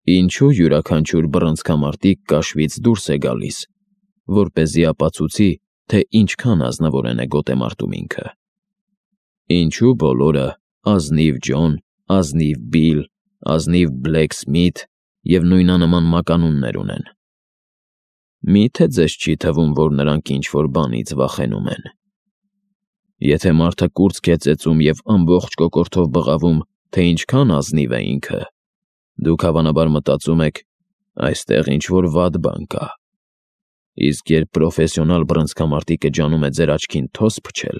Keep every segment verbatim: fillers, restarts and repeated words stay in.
Ինչու յուրաքանչյուր բռնցքամարտիկ կաշվից դուրս է գալիս, որպեսզի ապացուցի, թե ինչքան ազնվորեն է գոտեմարտում ինքը։ Ինչու բոլորը, ազնիվ Ջոն, ազնիվ Բիլ, ազնիվ Բլեք Սմիթ և նույնանման մականուններ ունեն։ Մի՞թե ձեզ չի թվում, որ նրանք ինչ-որ բանից վախենում են։ Եթե մարդը կուրծք է ծեծում և ամբողջ կոկորդով բղավում, թե ինչքան ազնիվ է ինքը, դուք հավանաբար մտածում եք. այստեղ ինչ-որ վատ բան կա։ Իսկ երբ պրոֆեսիոնալ բռնցքամարտիկը ջանում է ձեր աչքին թոս փչել,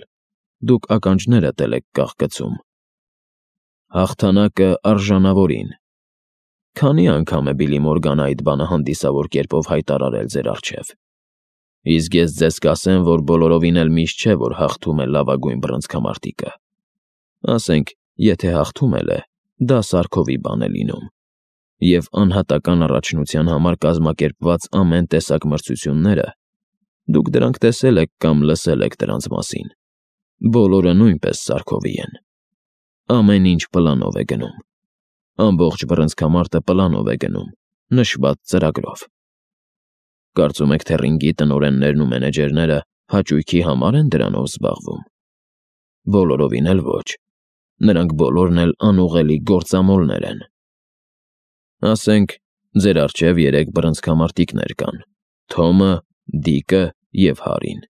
դուք ականջներդ էլ եք կաղկցում։ Հաղթանակը արժանավորին։ Քանի՞ անգամ է Բիլի Մորգանը այդ բանը հանդիսավոր կերպով հայտարարել ձեր առջև։ Իսկ ես ձեզ կասեմ, որ բոլորովին էլ միշտ չէ, որ հաղթում է լավագույն բռնցքամարտիկը։ Ասենք, եթե հաղթում էլ է, դա սարքովի բան է լինում։ Եվ անհատական առաջնության համար կազմակերպված ամեն տեսակ մրցությունները, դուք դրանք տեսել եք կամ լսել եք դրանց մասին, բոլորը նույնպես սարքովի են։ Ամեն ինչ պլանով է գնում։ Ամբողջ բռնցքամարտը պլանով է գնում, նշված ծրագրով։ Կարծում եք, թե ռինգի տնօրեններն ու մենեջերները հաճույքի համար են դրանով զբաղվում։ Բոլորովին էլ ոչ։ Նրանք բոլորն էլ անուղղելի գործամոլներ են։ Ասենք, ձեր առջև երեք բռնցքամարտիկներ կան՝ Թոմը, Դիկը և Հարին։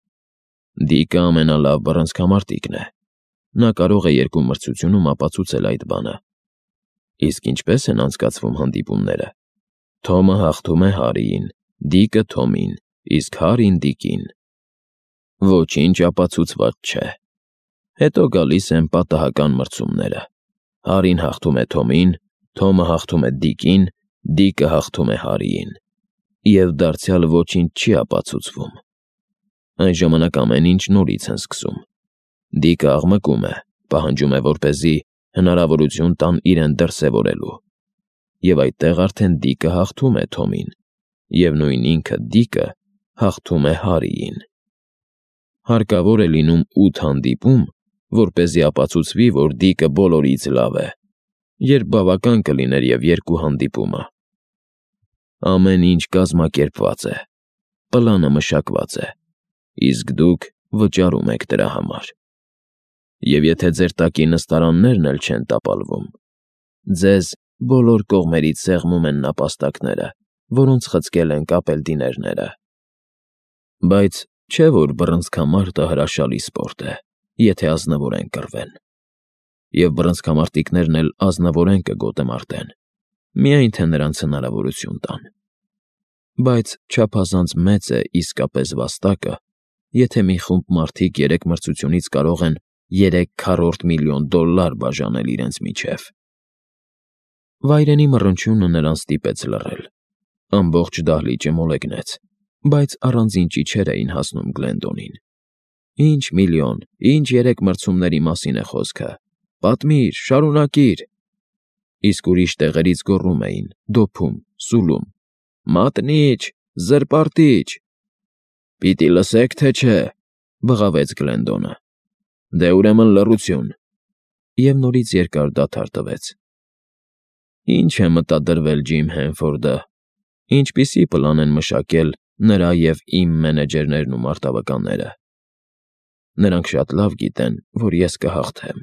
Դիկը ամենալավ բռնցքամարտիկն է։ Նա կարող է երկու մրցությունում ապացուցել այդ բանը։ Իսկ ինչպե՞ս են անցկացվում հանդիպումները։ Թոմը հաղթում է Հարիին, Դիկը Թոմին, իսկ Հարին Դիկին։ Ոչինչ ապացուցված չէ։ Հետո գալիս են պատահական մրցումները։ Հարին հաղթում է Թոմին, Թոմը հաղթում է Դիկին, Դիկը հաղթում է Հարիին։ Եվ դարձյալ ոչինչ չի ապացուցվում։ Այն ժամանակ ամեն ինչ նորից են սկսում։ Դիկը աղմկում է, պահանջում է, որպեսզի հնարավորություն տան իրեն դրսևորելու։ Եվ այդտեղ արդեն Դիկը հաղթում է Թոմին, և նույն ինքը Դիկը հաղթում է Հարիին։ Հարկավոր է լինում ութ հանդիպում, որպեսզի ապացուցվի, որ Դիկը բոլորից լավ է, երբ բավական կլիներ և երկու հանդիպումը։ Ամեն ինչ կազմակերպված է, պլանը մշակված է, իսկ դուք վճարում եք դրա համար։ Եվ եթե ձեր տակի նստարաններն էլ չեն տապալվում, ձեզ բոլոր կողմերից սեղմում են նապաստակները, որոնց խցկել են կապելտիներները։ Բայց չէ՞ որ բռնցքամարտը հրաշալի սպորտ է, եթե ազնվորեն կռվեն։ Եվ բռնցքամարտիկներն էլ ազնվորեն կգոտեմարտեն, միայն թե նրանց հնարավորություն տան։ Բայց չափազանց մեծ է իսկապես վաստակը, եթե մի խումբ մարդիկ երեք մրցությունից կարող են երեք քառորդ միլիոն դոլլար բաժանել իրենց միջև։ Վայրենի մռնչյունը նրան ստիպեց լռել։ Ամբողջ դահլիճը մոլեգնեց, բայց առանձին ճիչեր էին հասնում Գլենդոնին։ Ինչ միլիոն, ինչ երեք մրցումների մասին է խոսքը։ Պատմիր, շարունակիր։ Իսկ ուրիշ տեղերից գոռում էին, դոփում, սուլում. Մատնիչ, զրպարտիչ։ Պիտի լսեք, թե չէ, բղավեց Գլենդոնը։ Դե ուրեմն լռություն։ Եվ նորից երկար դադար տվեց։ Ինչ է մտադրվել Ջիմ Հենֆորդը, ինչպիսի պլան են մշակել նրա և իմ մենեջերներն ու մարտավականները։ Նրանք շատ լավ գիտեն, որ ես կհաղթեմ։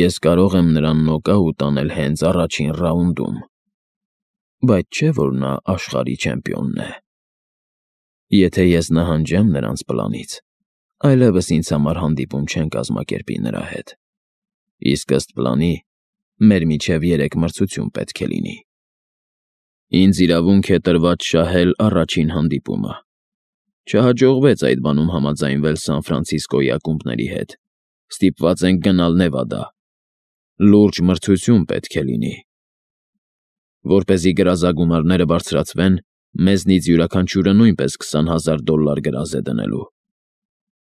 Ես կարող եմ նրան նոկաուտ անել հենց առաջին ռաունդում։ Բայց չէ՞ որ նա աշխարհի չեմպիոնն է։ Եթե ես նահանջեմ նրանց պլանից, այլևս ինձ համար հանդիպում չեն կազմակերպի նրա հետ։ Իսկ ըստ պլանի, մեր միջև երեք մրցություն պետք է լինի։ Ինձ իրավունք է տրված շահել առաջին հանդիպումը։ Չհաջողվեց այդ բանում համաձայնվել Սան Ֆրանցիսկոյի ակումբների հետ։ Ստիպված ենք գնալ Նևադա։ Լուրջ մրցություն պետք է լինի։ Որպեսզի գրազագումարները բարձրացվեն, մեզնից յուրաքանչյուրը նույնպես քսան հազար դոլլար գրազ է դնելու։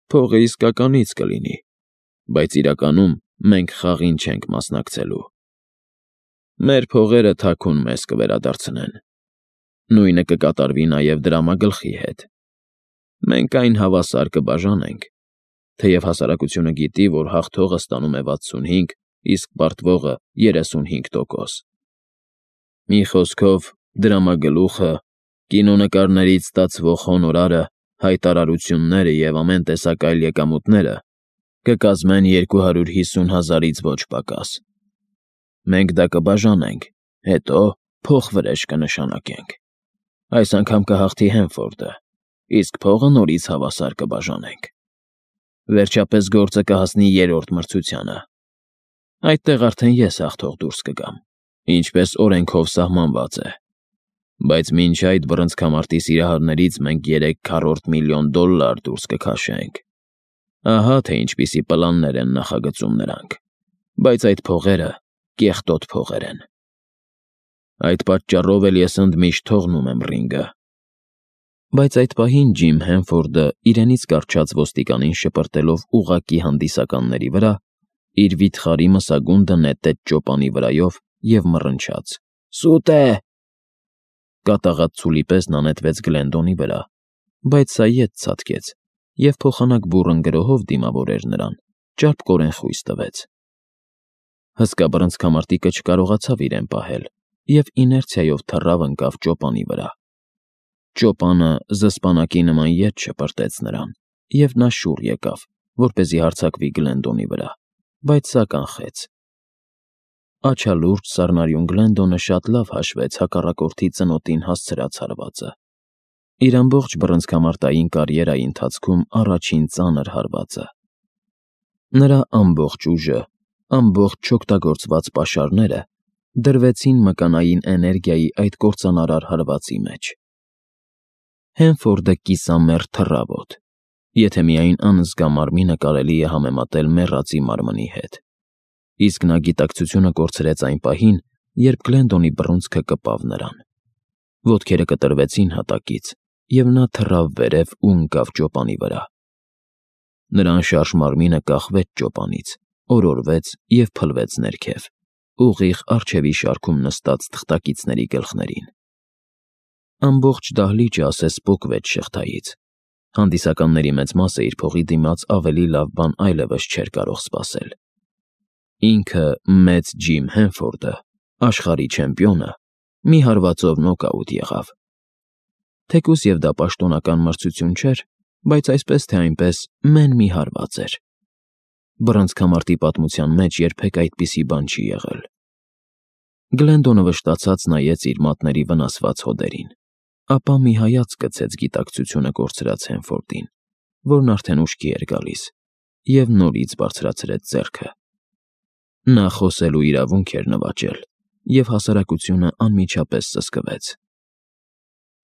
Փողը իսկականից կլինի, բայց իրականում մենք խաղին չենք մասնակցելու։ Մեր փողերը թաքուն մեզ կվերադարձնեն։ Նույնը կկատարվի նաև դրամագլխի հետ։ Մենք այն հավասար կբաժանենք, թեև հասարակությունը գիտի, որ հաղթողը ստանում է վաթսունհինգ, իսկ պարտվողը երեսունհինգ տոկոս։ Մի խոսքով, դրամագլուխը, կինոնկարներից ստացվող հոնորարը, հայտարարությունները և ամեն տեսակ այլ եկամուտները կկազմեն երկու հարյուր հիսուն հազարից ոչ պակաս։ Մենք դա կբաժանենք, հետո փոխվրեժ կնշանակենք։ Այս անգամ կհաղթի Հենֆորդը, իսկ փողը նորից հավասար կբաժանենք։ Վերջապես գործը կհասնի երրորդ մրցությանը։ Այդտեղ արդեն ես հաղթող դուրս կգամ, ինչպես օրենքով սահմանված է։ Բայց մինչ այդ բռնցքամարտի սիրահարներից մենք երեք քառորդ միլիոն դոլար դուրս կքաշենք։ Ահա թե ինչպիսի պլաններ են նախագծում նրանք, բայց այդ փողերը կեղտոտ փողեր են։ Այդ պատճառով էլ ես ընդմիշտ թողնում եմ ռինգը։ Բայց այդ պահին Ջիմ Հենֆորդը իրենից կառչած ոստիկանին շպրտելով ուղղակի հանդիսականների վրա, իր վիթխարի մսագունդը նետեց ճոպանի վրայով և մռնչաց. «Սուտ է»։ Կատաղած ցուլի պես նա նետվեց Գլենդոնի վրա, բայց սա ետ ցատկեց և փոխանակ բուռն գրոհով դիմավորեր նրան, ճարպկորեն խույս տվեց։ Հսկա բռնցքամարտիկը չկարողացավ իրեն պահել և իներցիայով թռավ ընկավ ճոպանի վրա։ Ճոպանը զսպանակի նման ետ շպրտեց նրան, և նա շուռ եկավ, որպեսզի հարձակվի Գլենդոնի վրա, բայց սա կանխեց։ Աչալուրջ սառնարյուն Գլենդոնը շատ լավ հաշվեց հակառակորդի ծնոտին հասցրած հարվածը։ Իր ամբողջ բռնցքամարտային կարիերայի ընթացքում առաջին ծանր հարվածը։ Նրա ամբողջ ուժը, ամբողջ չօգտագործված պաշարները դրվեցին մկանային էներգիայի այդ կործանարար հարվածի մեջ։ Հենֆորդը կիսամեռ թռավ օդ, եթե միայն անզգա մարմինը կարելի է համեմատել մեռածի մարմնի հետ, իսկ նա գիտակցությունը կորցրեց այն պահին, երբ Գլենդոնի բռունցքը կպավ նրան։ Ոտքերը կտրվեցին հատակից, և նա թռավ վերև ու ընկավ ճոպանի վրա։ Նրա անշարժ մարմինը կախվեց ճոպանից, օրորվեց և փլվեց ներքև, ուղիղ առջևի շարքում նստած թղթակիցների գլխներին։ Ամբողջ դահլիճը ասես պոկվեց շղթայից։ Հանդիսականների մեծ մասը իր փողի դիմաց ավելի լավ բան այլևս չէր կարող սպասել։ Ինքը՝ մեծ Ջիմ Հենֆորդը, աշխարհի չեմպիոնը, մի հարվածով նոկաուտ եղավ։ Թեկուզ և դա պաշտոնական մրցություն չէր, բայց այսպես թե այնպես մեն մի հարված էր։ Բռնցքամարտի պատմության մեջ երբեք այդպիսի բան չի եղել։ Գլենդոնը վշտացած նայեց իր մատների վնասված հոդերին, ապա մի հայացք գցեց գիտակցությունը կորցրած Հենֆորդին, որն արդեն ուշքի էր գալիս, և նորից բարձրացրեց ձեռքը։ Նա խոսելու իրավունք էր նվաճել, և հասարակությունը անմիջապես սսկվեց։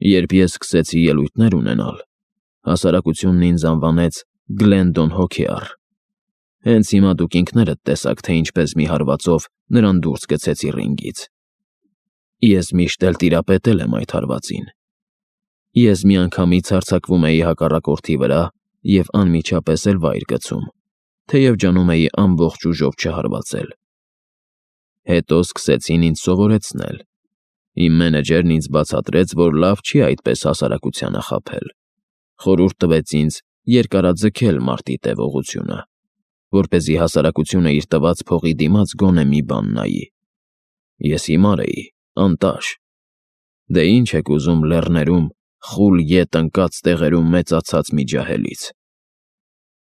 Երբ ես սկսեցի ելույթներ ունենալ, հասարակությունն ինձ անվանեց Գլենդոն Հոքեյառ։ Հենց հիմա դուք ինքներդ տեսաք, թե ինչպես մի հարվածով նրան դուրս գցեցի ռինգից։ Ես միշտ էլ տիրապետել եմ այդ հարվածին։ Ես միանգամից հարձակվում էի հակառակորդի վրա և անմիջապես էլ վայր գցում, թեև ջանում էի ամբողջ ուժով չհարվածել։ Հետո սկսեցին ինձ սովորեցնել։ Իմ մենեջերն ինձ բացատրեց, որ լավ չի այդպես հասարակությանը խաբել։ Խորհուրդ տվեց ինձ երկարաձգել մարտի տևողությունը, որպեսզի հասարակությունը իր տված փողի դիմաց գոնե մի բան նայի։ Ես հիմար էի, անտաշ։ Դե ինչ եք ուզում լեռներում, խուլ ետ ընկած տեղերում մեծացած մի ջահելից։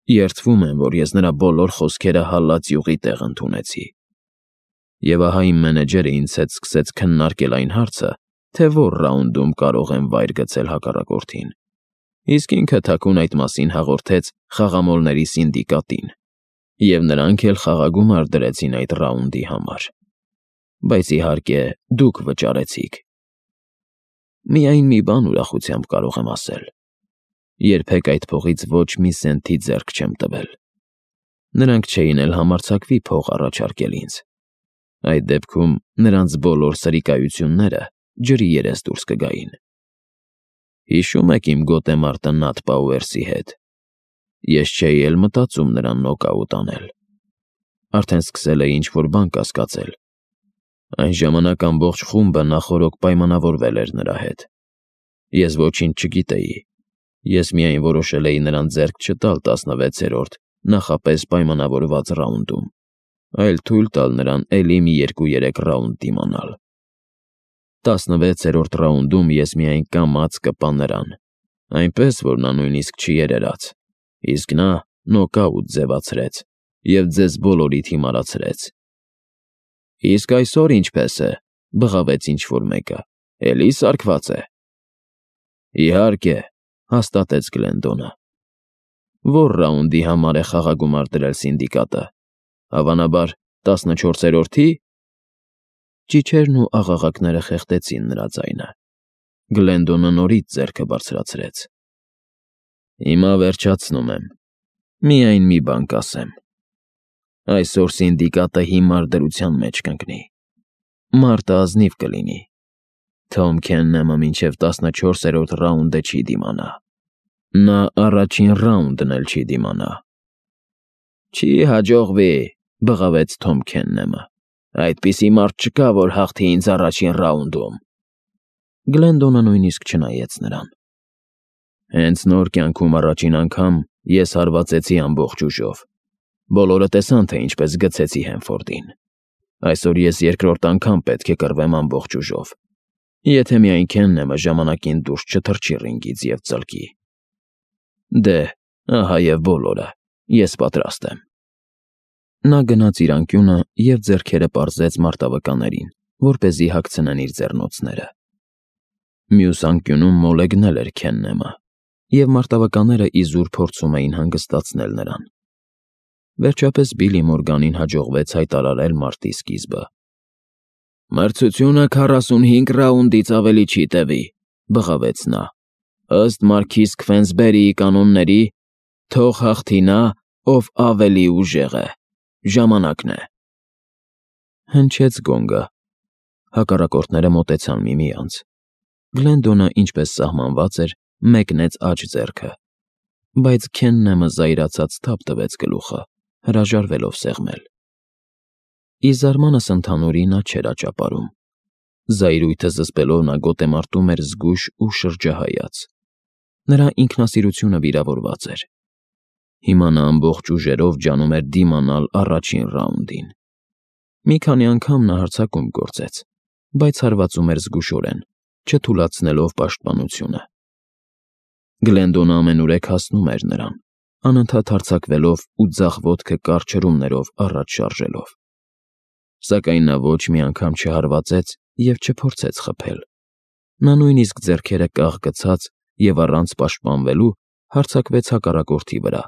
Երդվում եմ, որ ես նրա բոլոր խոսքերը հալած յուղի տեղ ընդունեցի։ Եվ ահա իմ մենեջերը ինձ հետ սկսեց քննարկել այն հարցը, թե որ ռաունդում կարող եմ վայր գցել հակառակորդին, իսկ ինքը թաքուն այդ մասին հաղորդեց խաղամոլների սինդիկատին, և նրանք էլ խաղագումար դրեցին այդ ռաունդի համար։ Բայց իհարկե, դուք վճարեցիք։ Միայն մի բան ուրախությամբ կարող եմ ասել. երբեք այդ փողից ոչ մի սենթի ձեռք չեմ տվել։ Նրանք չէին էլ համարձակվի փող առաջարկել ինձ։ Այդ դեպքում նրանց բոլոր սրիկայությունները ջրի երես դուրս կգային։ Հիշո՞ւմ եք իմ գոտեմարտը Նաթ Պաուերսի հետ։ Ես չէի էլ մտածում նրան նոկաուտ անել։ Արդեն սկսել էի ինչ-որ բան կասկածել։ Այն ժամանակ ամբողջ խումբը նախօրոք պայմանավորվել էր նրա հետ։ Ես ոչինչ չգիտեի։ Ես միայն որոշել էի նրան ձեռք չտալ տասնվեցերորդ նախապես պայմանավորված ռաունդում, այլ թույլ տալ նրան էլի մի երկու֊երեք ռաունդ դիմանալ։ Տասնվեցերորդ ռաունդում ես միայն կամաց կպա նրան, այնպես, որ նա նույնիսկ չի երերաց, իսկ նա նոկաուտ ձևացրեց և ձեզ բոլորիդ հիմարացրեց։ Իսկ այսօր ինչպես է, բղավեց ինչ-որ մեկը, էլի սարկված է։ Իհարկե, հաստատեց Գլենդոնը։ Որ ռաունդի համար է խաղագումար դրել սինդիկատը, հավանաբար տասնչորսերորդի՞։ Ճիչերն ու աղաղակները խեղդեցին նրա ձայնը։ Գլենդոնը նորից ձեռքը բարձրացրեց։ Հիմա վերջացնում եմ, միայն մի բան կասեմ։ Այսօր սինդիկատը հիմար դրության մեջ կընկնի։ Մարտը ազնիվ կլինի։ Թոմ Քեննեմը մինչև տասնչորսերորդ ռաունդը չի դիմանա։ Նա առաջին ռաունդն էլ չի դիմանա։ Չի հաջողվի, բղավեց Թոմ Քեննեմը։ Այդպիսի մարդ չկա, որ հաղթի ինձ առաջին ռաունդում։ Գլենդոնը նույնիսկ չնայեց նրան։ Հենց նոր կյանքում առաջին անգամ ես հարվածեցի ամբողջ ուժով։ Բոլորը տեսան, թե ինչպես գցեցի Հենֆորդին։ Այսօր ես երկրորդ անգամ պետք է կռվեմ ամբողջ ուժով։ Եթե միայն Քեննեմը ժամանակին դուրս չթռչի ռինգից և ծլկի։ Դե, ահա և բոլորը, ես պատրաստ եմ։ Նա գնաց իր անկյունը և ձեռքերը պարզեց մարտավկաներին, որպեսզի հագցնեն իր ձեռնոցները։ Մյուս անկյունում մոլեգնել էր Քեննեմը, և մարտավկանները իզուր փորձում էին հանգստացնել նրան։ Վերջապես Բիլլի Մորգանին հաջողվեց հայտարարել մարտի սկիզբը։ Մրցությունը քառասունհինգ ռաունդից ավելի չի տևի, բղավեց նա։ Ըստ Մարքիզ Քվենսբերիի կանոնների, թող հաղթի նա, ով ավելի ուժեղ է։ Ժամանակն է։ Հնչեց գոնգը։ Հակառակորդները մոտեցան միմյանց։ Գլենդոնը, ինչպես սահմանված էր, մեկնեց աջ ձեռքը, բայց Քեննեմը զայրացած թափ տվեց գլուխը, հրաժարվելով սեղմել։ Ի զարմանս ընդհանուրի նա չէր աճապարում։ Զայրույթը զսպելով նա գոտեմարտում էր զգույշ ու շրջահայաց։ Նրա ինքնասիրությունը վիրավորված էր։ Հիմա նա ամբողջ ուժերով ջանում էր դիմանալ առաջին ռաունդին։ Մի քանի անգամ նա հարձակում գործեց, բայց հարվածում էր զգուշորեն, չթուլացնելով պաշտպանությունը։ Գլենդոնը ամենուրեք հասնում էր նրան, անընդհատ հարձակվելով ու ձախ ոտքը կարճ հրումներով առաջ շարժելով։ Սակայն նա ոչ մի անգամ չհարվածեց և չփորձեց խփել։ Նա նույնիսկ ձեռքերը կաղ գցած և առանց պաշտպանվելու հարձակվեց հակառակորդի վրա,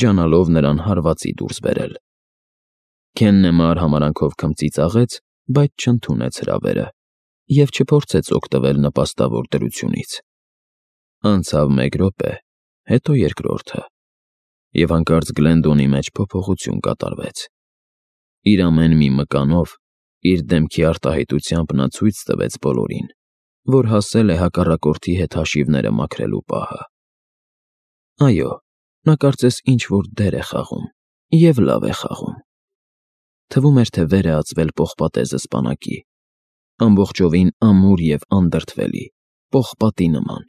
ջանալով նրան հարվածի դուրս բերել։ Քեննեմը արհամարհանքով քմծի ծաղեց, բայց չընդունեց հրավերը և չփորձեց օգտվել նպաստավոր դրությունից։ Անցավ մեկ րոպե, հետո երկրորդը, և հանկարծ Գլենդոնի մեջ փոփոխություն կատարվեց։ Իր ամեն մի մկանով, իր դեմքի արտահայտությամբ նա ցույց տվեց բոլորին, որ հասել է հակառակորդի հետ հաշիվները մաքրելու պահը։ Այո, նա կարծես ինչ-որ դեր է խաղում, և լավ է խաղում։ Թվում էր, թե վեր է ածվել պողպատե զսպանակի, ամբողջովին ամուր և անդրդվելի, պողպատի նման։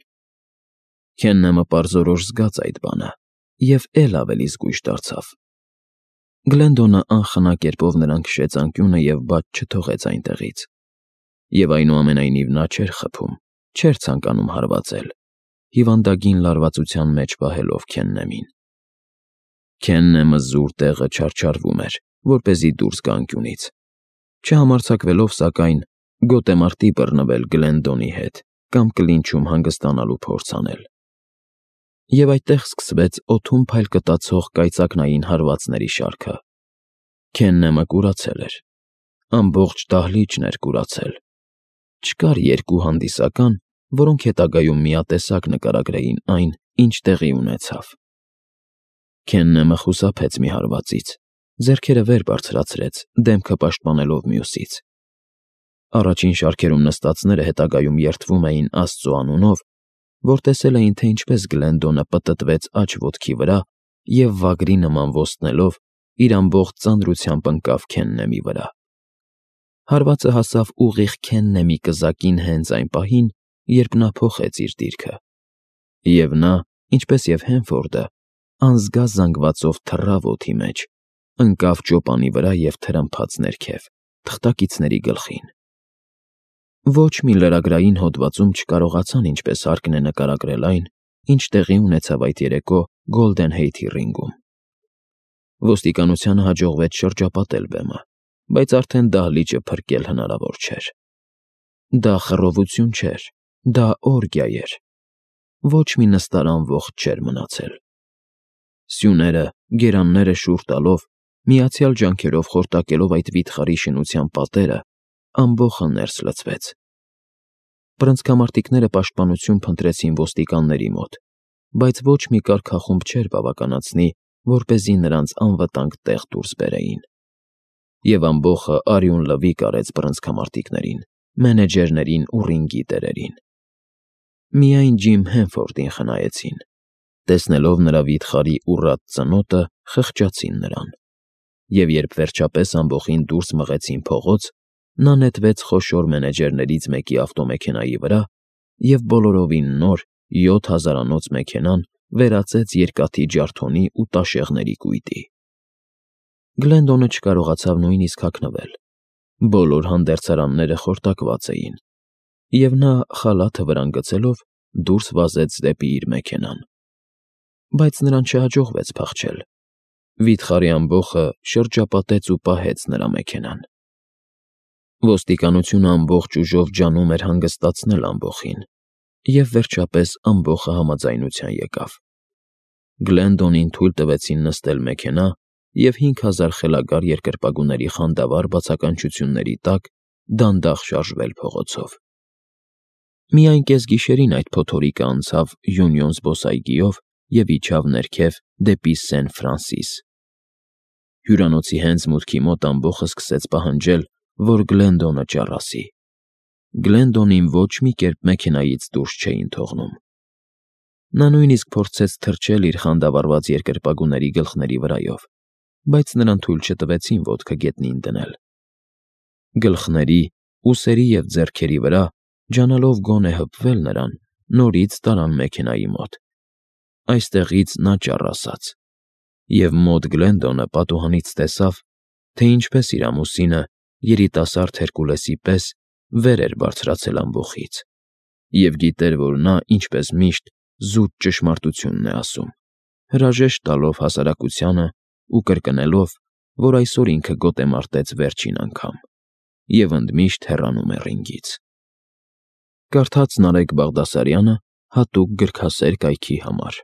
Քեննեմը պարզորոշ զգաց այդ բանը և էլ ավելի զգույշ դարձավ։ Գլենդոնը անխնա կերպով նրան քշեց անկյունը և բաց չթողեց այնտեղից։ Եվ այնուամենայնիվ նա չէր խփում, չէր ցանկանում հարվածել, հիվանդագին լարվածության մեջ պահելով Քեննեմին։ Քեննեմը զուր տեղը չարչարվում էր, որպեսզի դուրս գա անկյունից, չհամարձակվելով, սակայն, գոտեմարտի բռնվել Գլենդոնի հետ կամ կլինչում հանգստանալու փորձ անել։ Եվ այդտեղ սկսվեց օդում փայլ կտացող կայծակնային հարվածների շարքը։ Քեննեմը կուրացել էր։ Ամբողջ դահլիճն էր կուրացել։ Չկար երկու հանդիսական, որոնք հետագայում միատեսակ նկարագրեին այն, ինչ տեղի ունեցավ։ Քեննեմը խուսափեց մի հարվածից, ձեռքերը վեր բարձրացրեց, դեմքը պաշտպանելով մյուսից։ Առաջին շարքերում նստածները հետագայում երդվում էին Աստծո անունով, որ տեսել էին, թե ինչպես Գլենդոնը պտտվեց աջ ոտքի վրա և վագրի նման ոստնելով իր ամբողջ ծանրությամբ ընկավ Քեննեմի վրա։ Հարվածը հասավ ուղիղ Քեննեմի կզակին հենց այն պահին, երբ նա փոխեց իր դիրքը։ Եվ նա, ինչպես և Հենֆորդը, անզգա զանգվածով թռավ օդի մեջ, ընկավ ճոպանի վրա և թրմփաց ներքև, թղթակիցների գլխին։ Ոչ մի լրագրային հոդվածում չկարողացան ինչպես հարկն է նկարագրել այն, ինչ տեղի ունեցավ այդ երեկո Գոլդեն Հեյթի ռինգում։ Ոստիկանությանը հաջողվեց շրջապատել բեմը, բայց արդեն դահլիճը փրկել հնարավոր չէր։ Դա խռովություն չէր, դա օրգիա էր։ Ոչ մի նստարան ողջ չէր մնացել։ Սյուները, գերանները շուռ տալով, միացյալ ջանքերով խորտակելով այդ վիթխարի շինության պատերը, ամբոխը ներս լցվեց։ Բռնցքամարտիկները պաշտպանություն փնտրեցին ոստիկանների մոտ, բայց ոչ մի կարգախումբ չէր բավականացնի, որպեսզի նրանց անվտանգ տեղ դուրս բերեին։ Եվ ամբոխը արյուն լվիկ արեց բռնցքամարտիկներին, մենեջերներին ու ռինգի տերերին։ Միայն Ջիմ Հենֆորդին խնայեցին։ Տեսնելով նրա վիթխարի ուռած ծնոտը, խղճացին նրան։ Եվ երբ վերջապես ամբոխին դուրս մղեցին փողոց, նա նետվեց խոշոր մենեջերներից մեկի ավտոմեքենայի վրա և բոլորովին նոր յոթ հազարանոց մեքենան վերածեց երկաթի ջարդոնի ու տաշեղների կույտի։ Գլենդոնը չկարողացավ նույնիսկ հագնվել։ Բոլոր հանդերձարանները խորտակված էին, և նա, խալաթը վրան գցելով, դուրս վազեց դեպի իր մեքենան։ Բայց նրան չհաջողվեց փախչել։ Վիթխարի ամբոխը շրջապատեց ու պահեց նրա մեքենան։ Ոստիկանությունը ամբողջ ուժով ջանում էր հանգստացնել ամբոխին, և վերջապես ամբոխը համաձայնության եկավ։ Գլենդոնին թույլ տվեցին նստել մեքենա, և հինգ հազար խելագար երկրպագուների խանդավառ բացականչությունների տակ դանդաղ շարժվել փողոցով։ Միայն կեսգիշերին այդ փոթորիկը անցավ Յունիոն զբոսայգիով և իջավ ներքև դեպի Սեն֊Ֆրանսիս։ Հյուրանոցի հենց մուտքի մոտ ամբոխը սկսեց պահանջել, որ Գլենդոնը ճառասի։ Գլենդոնին ոչ մի կերպ մեքենայից դուրս չէին թողնում։ Նա նույնիսկ փորձեց թռչել իր խանդավառված երկրպագուների գլխների վրայով, բայց նրան թույլ չտվեցին ոտքը գետնին դնել։ Գլխների, ուսերի և ձեռքերի վրա, ջանալով գոնե հպվել նրան, նորից տարան մեքենայի մոտ։ Այստեղից նա ճառասաց, և մոտ Գլենդոնը պատուհանից տեսավ, թե ինչպես իր ամուսինը, երիտասարդ Հերկուլեսի պես, վեր էր բարձրացել ամբոխից, և գիտեր, որ նա, ինչպես միշտ, զուտ ճշմարտությունն է ասում, հրաժեշտ տալով հասարակությանը ու կրկնելով, որ այսօր ինքը գոտեմարտեց վերջին անգամ և ընդմիշտ հեռանում է ռինգից։ Կարդաց Նարեկ Բաղդասարյանը հատուկ գրքասեր կայքի համար։